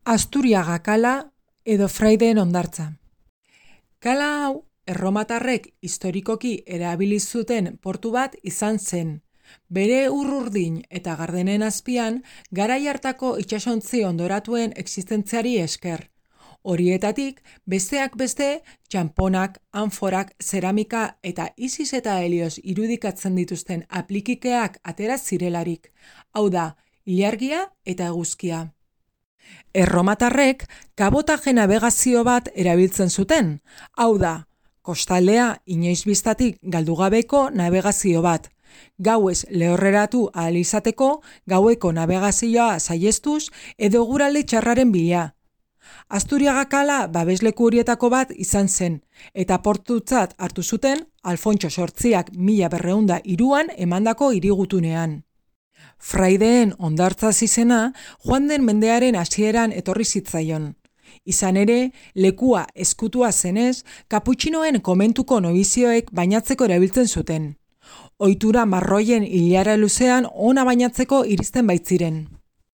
Asturiaga kala edo Fraideen hondartza. Kala hau, erromatarrek historikoki erabili zuten portu bat izan zen. Bere urrurdin eta gardenen azpian, garai hartako itsasontzi hondoratuen existentziari esker. Horietatik, besteak beste, txanponak, anforak, zeramika eta Isis eta Helioz irudikatzen dituzten aplikikeak atera zirelarik. Hau da, ilargia eta eguzkia. Erromatarrek kabotaje nabegazio bat erabiltzen zuten. Hau da, kostaldea inoiz bistatik galdugabeko nabegazio bat. Gauez lehorreratu ahal izateko, gaueko nabegazioa saihestuz edo eguraldi txarraren bila. Asturiaga kala babesleku horietako bat izan zen, eta portutzat hartu zuten Alfontso Zortziak 1203an emandako hirigutunean. Fraideen hondartza izena joan den mendearen hasieran etorri zitzaion. Izan ere, lekua ezkutua zenez, kaputxinoen komentuko nobizioek bainatzeko erabiltzen zuten. Ohitura marroien ilara luzean ona bainatzeko iristen baitziren.